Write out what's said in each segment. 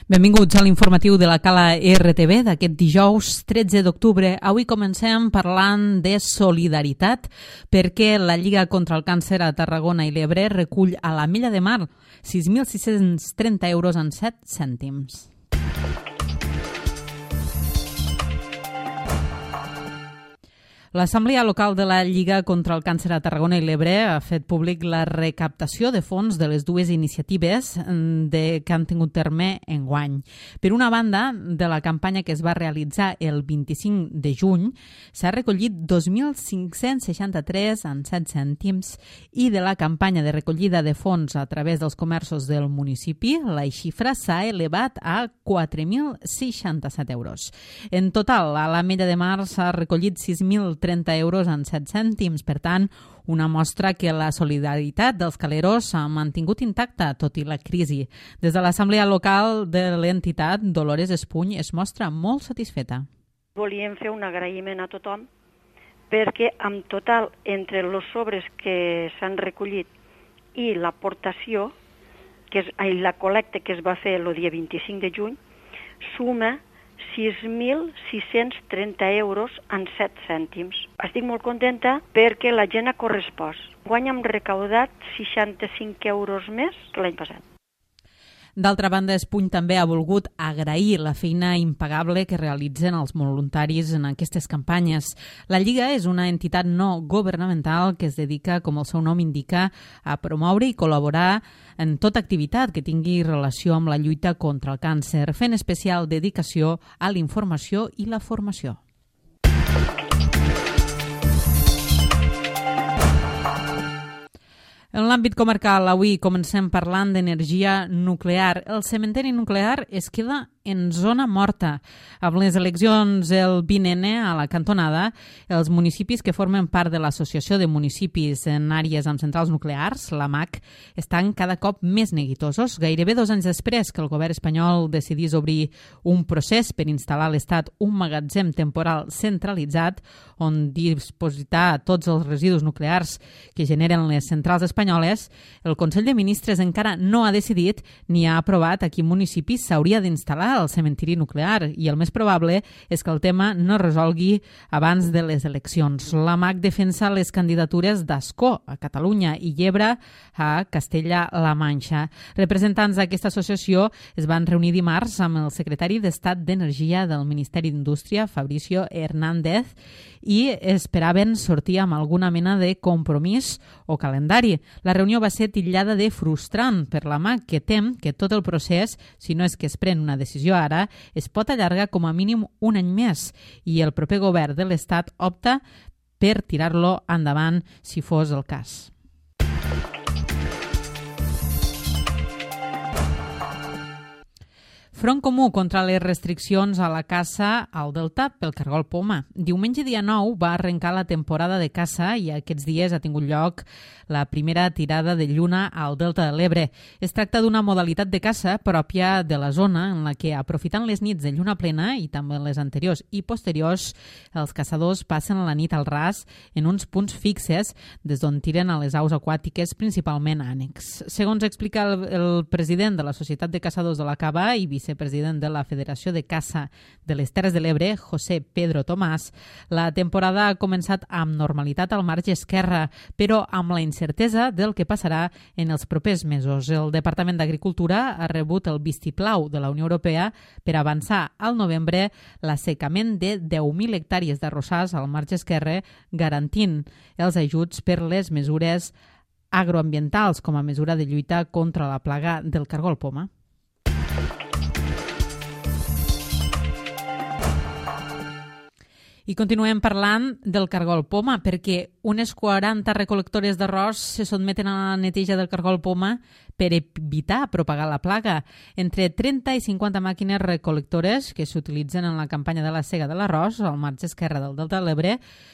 Benvinguts a l'informatiu de la Cala RTV d'aquest dijous 13 d'octubre. Avui comencem parlant de solidaritat perquè la Lliga contra el Càncer a Tarragona i l'Ebre recull a l'Ametlla de Mar 6.630 euros en 7 cèntims. L'Assemblea Local de la Lliga contra el Càncer a Tarragona i l'Ebre ha fet públic la recaptació de fons de les dues iniciatives que han tingut terme enguany. Per una banda, de la campanya que es va realitzar el 25 de juny, s'ha recollit 2.563 en 7 cèntims i de la campanya de recollida de fons a través dels comerços del municipi, la xifra s'ha elevat a 4.067 euros. En total, a l'Ametlla de Mar s'ha recollit 6.030 euros en 7 cèntims. Per tant, una mostra que la solidaritat dels caleros s'ha mantingut intacta tot i la crisi. Des de l'Assemblea Local de l'entitat, Dolores Espuny es mostra molt satisfeta. Volíem fer un agraïment a tothom perquè en total, entre els sobres que s'han recollit i l'aportació, la col·lecta que es va fer el dia 25 de juny, suma 6.630 euros en 7 cèntims. Estic molt contenta perquè la gent ha correspost. Guany hem recaudat 65 euros més que l'any passat. D'altra banda, Espuny també ha volgut agrair la feina impagable que realitzen els voluntaris en aquestes campanyes. La Lliga és una entitat no governamental que es dedica, com el seu nom indica, a promoure i col·laborar en tota activitat que tingui relació amb la lluita contra el càncer, fent especial dedicació a la informació i la formació. En l'àmbit comarcal, avui comencem parlant d'energia nuclear. El cementeri nuclear es queda en zona morta. Amb les eleccions el 20N a la cantonada, els municipis que formen part de l'Associació de Municipis en àrees amb centrals nuclears, l'AMAC, estan cada cop més neguitosos. Gairebé 2 anys després que el govern espanyol decidís obrir un procés per instal·lar a l'Estat un magatzem temporal centralitzat on dipositar tots els residus nuclears que generen les centrals espanyoles, el Consell de Ministres encara no ha decidit ni ha aprovat a quin municipi s'hauria d'instal·lar el cementiri nuclear i el més probable és que el tema no es resolgui abans de les eleccions. L'AMAC defensa les candidatures d'Ascó a Catalunya i Llebre a Castella-La Manxa. Representants d'aquesta associació es van reunir dimarts amb el secretari d'Estat d'Energia del Ministeri d'Indústria, Fabricio Hernández, i esperaven sortir amb alguna mena de compromís o calendari. La reunió va ser titllada de frustrant per l'AMAC, que tem que tot el procés, si no és que es pren una decisió ara, es pot allargar com a mínim un any més i el proper govern de l'Estat opta per tirar-lo endavant si fos el cas. Front Comú contra les restriccions a la caça al Delta pel cargol poma. Diumenge dia 9 va arrencar la temporada de caça i aquests dies ha tingut lloc la primera tirada de lluna al Delta de l'Ebre. Es tracta d'una modalitat de caça pròpia de la zona en la que, aprofitant les nits de lluna plena i també les anteriors i posteriors, els caçadors passen la nit al ras en uns punts fixes des d'on tiren a les aus aquàtiques, principalment ànecs. Segons explica el president de la Societat de Caçadors de la Cava i vicepresident de la Federació de Caça de les Terres de l'Ebre, José Pedro Tomàs, la temporada ha començat amb normalitat al marge esquerre, però amb la incertesa del que passarà en els propers mesos. El Departament d'Agricultura ha rebut el vistiplau de la Unió Europea per avançar al novembre l'assecament de 10.000 hectàrees d'arrossars al marge esquerre, garantint els ajuts per les mesures agroambientals com a mesura de lluita contra la plaga del cargol poma. I continuem parlant del cargol poma perquè unes 40 recol·lectores d'arròs se sotmeten a la neteja del cargol poma per evitar propagar la plaga. Entre 30 i 50 màquines recol·lectores que s'utilitzen en la campanya de la sega de l'arròs al marge esquerre del Delta de l'Ebre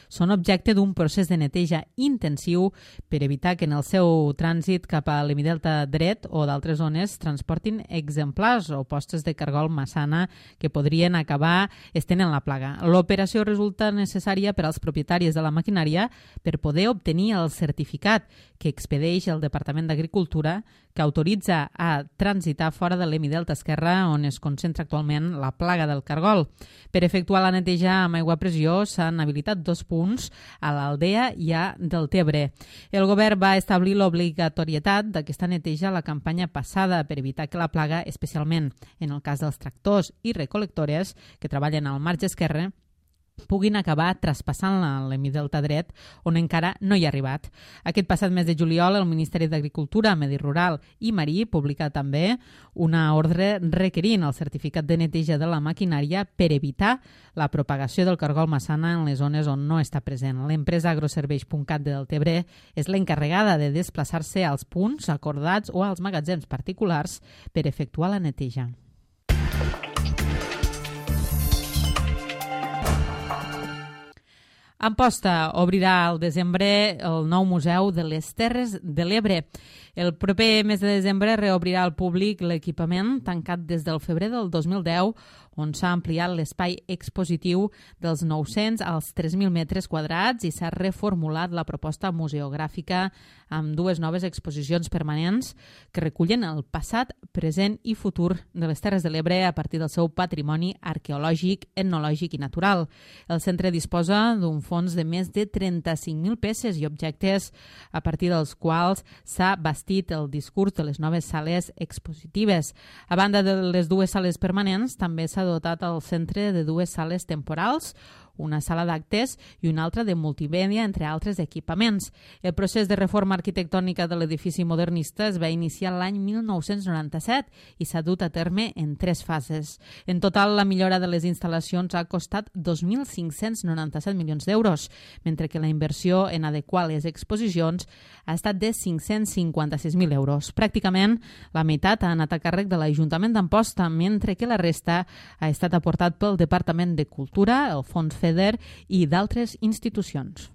són objecte d'un procés de neteja intensiu per evitar que en el seu trànsit cap a l'hemidelta dret o d'altres zones transportin exemplars o postes de cargol massana que podrien acabar estenent la plaga. L'operació resulta necessària per als propietaris de la maquinària per poder obtenir el certificat que expedeix el Departament d'Agricultura que autoritza a transitar fora de l'hemidelta esquerre on es concentra actualment la plaga del cargol. Per efectuar la neteja amb aigua a pressió s'han habilitat 2 punts a l'Aldea i a Deltebre. El govern va establir l'obligatorietat d'aquesta neteja a la campanya passada per evitar que la plaga, especialment en el cas dels tractors i recol·lectores que treballen al marge esquerre, puguin acabar traspassant l'hemidelta dret on encara no hi ha arribat. Aquest passat mes de juliol, el Ministeri d'Agricultura, Medi Rural i Marí publica també una ordre requerint el certificat de neteja de la maquinària per evitar la propagació del cargol massana en les zones on no està present. L'empresa agroserveis.cat de Deltebre és l'encarregada de desplaçar-se als punts acordats o als magatzems particulars per efectuar la neteja. Amposta obrirà al desembre el nou Museu de les Terres de l'Ebre. El proper mes de desembre reobrirà al públic l'equipament tancat des del febrer del 2010, on s'ha ampliat l'espai expositiu dels 900 als 3.000 metres quadrats i s'ha reformulat la proposta museogràfica amb 2 noves exposicions permanents que recullen el passat, present i futur de les Terres de l'Ebre a partir del seu patrimoni arqueològic, etnològic i natural. El centre disposa d'un fons de més de 35.000 peces i objectes a partir dels quals s'ha bastit el discurs de les noves sales expositives. A banda de les 2 sales permanents, també s'ha dotat el centre de 2 sales temporals, una sala d'actes i una altra de multimèdia, entre altres equipaments. El procés de reforma arquitectònica de l'edifici modernista es va iniciar l'any 1997 i s'ha dut a terme en 3 fases. En total, la millora de les instal·lacions ha costat 2.597 milions d'euros, mentre que la inversió en adequar les exposicions ha estat de 556.000 euros. Pràcticament la meitat ha anat a càrrec de l'Ajuntament d'Amposta, mentre que la resta ha estat aportat pel Departament de Cultura, el Fons FEDER i d'altres institucions.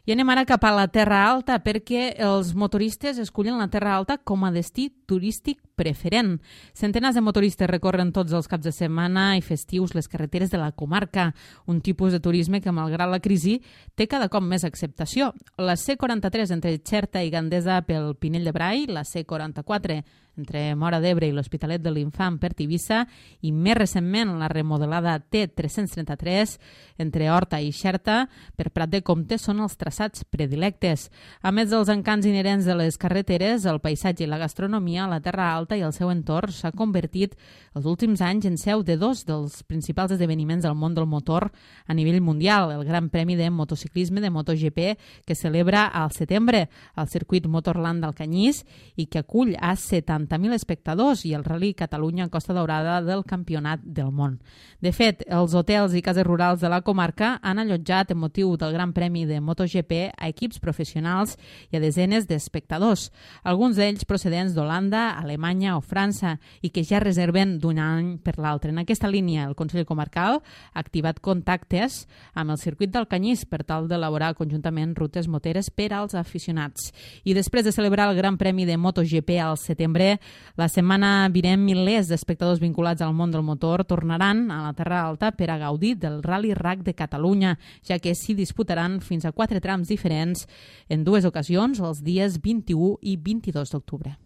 I anem ara cap a la Terra Alta perquè els motoristes escullen la Terra Alta com a destí turístic preferent. Centenars de motoristes recorren tots els caps de setmana i festius les carreteres de la comarca, un tipus de turisme que, malgrat la crisi, té cada cop més acceptació. La C43 entre Xerta i Gandesa pel Pinell de Brai, la C44 entre Móra d'Ebre i l'Hospitalet de l'Infant per Tivissa i, més recentment, la remodelada T333 entre Horta i Xerta per Prat de Comte són els traçats predilectes. A més dels encants inherents de les carreteres, el paisatge i la gastronomia, la Terra Alta i el seu entorn s'ha convertit els últims anys en seu de 2 dels principals esdeveniments del món del motor a nivell mundial, el Gran Premi de Motociclisme de MotoGP que celebra al setembre al circuit Motorland d'Alcanyís i que acull a 70.000 espectadors i el Rally Catalunya Costa Daurada del Campionat del Món. De fet, els hotels i cases rurals de la comarca han allotjat en motiu del Gran Premi de MotoGP a equips professionals i a desenes d'espectadors, alguns d'ells procedents d'Holanda, Alemanya o França i que ja reserven d'un any per l'altre. En aquesta línia, el Consell Comarcal ha activat contactes amb el circuit d'Alcanyís per tal d'elaborar conjuntament rutes moteres per als aficionats. I després de celebrar el Gran Premi de MotoGP al setembre, la setmana vinent milers d'espectadors vinculats al món del motor tornaran a la Terra Alta per a gaudir del Rally RAC de Catalunya, ja que s'hi disputaran fins a 4 trams diferents en 2 ocasions, els dies 21 i 22 d'octubre.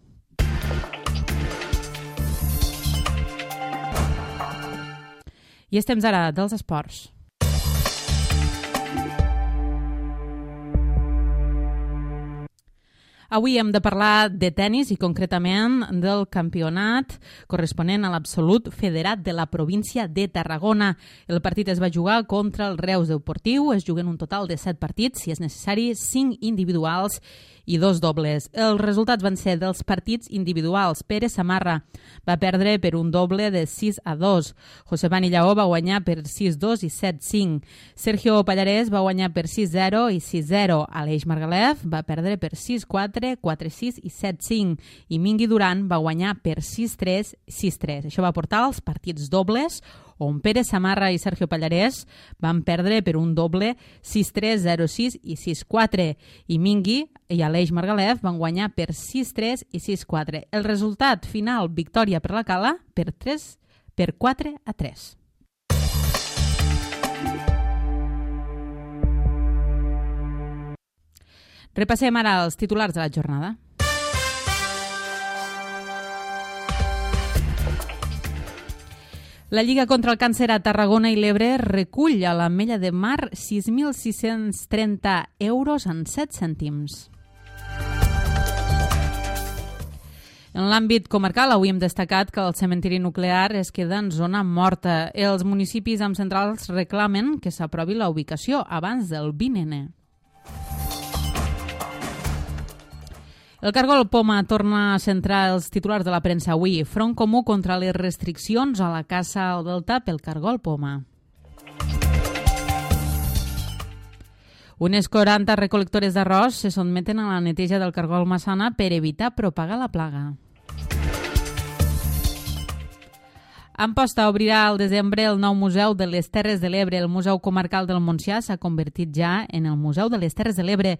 I és temps ara dels esports. Avui hem de parlar de tennis i concretament del campionat corresponent a l'absolut federat de la província de Tarragona. El partit es va jugar contra el Reus Deportiu, es juguen un total de 7 partits, si és necessari 5 individuals i 2 dobles. Els resultats van ser dels partits individuals. Pere Samarra va perdre per un doble de 6-2. Josebani Lleó va guanyar per 6-2 i 7-5. Sergio Pallarès va guanyar per 6-0 i 6-0. Aleix Margalef va perdre per 6-4, 4-6 i 7-5. I Mingui Duran va guanyar per 6-3, 6-3. Això va portar als partits dobles, on Pere Samarra i Sergio Pallarès van perdre per un doble 6-3, 0-6 i 6-4. I Mingui i Aleix Margalef van guanyar per 6-3 i 6-4. El resultat final, victòria per la Cala per 4-3. Repassem ara els titulars de la jornada. La Lliga contra el Càncer a Tarragona i l'Ebre recull a l'Ametlla de Mar 6.630 euros en 7 cèntims. En l'àmbit comarcal, avui hem destacat que el cementiri nuclear es queda en zona morta. Els municipis amb centrals reclamen que s'aprovi la ubicació abans del 20N. El Cargol Poma torna a centrar els titulars de la premsa avui. Front comú contra les restriccions a la caça al Delta pel Cargol Poma. Unes 40 recol·lectores d'arròs se sotmeten a la neteja del Cargol Massana per evitar propagar la plaga. Amposta obrirà al desembre el nou Museu de les Terres de l'Ebre. El Museu Comarcal del Montsià s'ha convertit ja en el Museu de les Terres de l'Ebre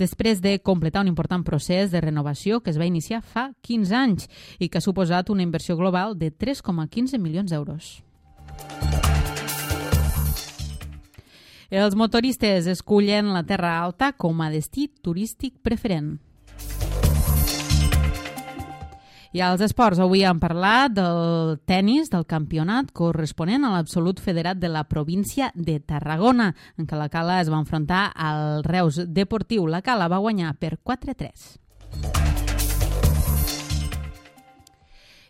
després de completar un important procés de renovació que es va iniciar fa 15 anys i que ha suposat una inversió global de 3,15 milions d'euros. Els motoristes escullen la Terra Alta com a destí turístic preferent. I als esports, avui hem parlat del tennis, del campionat corresponent a l'absolut federat de la província de Tarragona, en què la Cala es va enfrontar al Reus Deportiu. La Cala va guanyar per 4-3.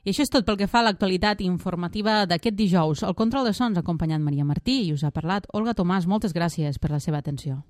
I això és tot pel que fa a l'actualitat informativa d'aquest dijous. El control de sons ha acompanyat Maria Martí i us ha parlat Olga Tomàs. Moltes gràcies per la seva atenció.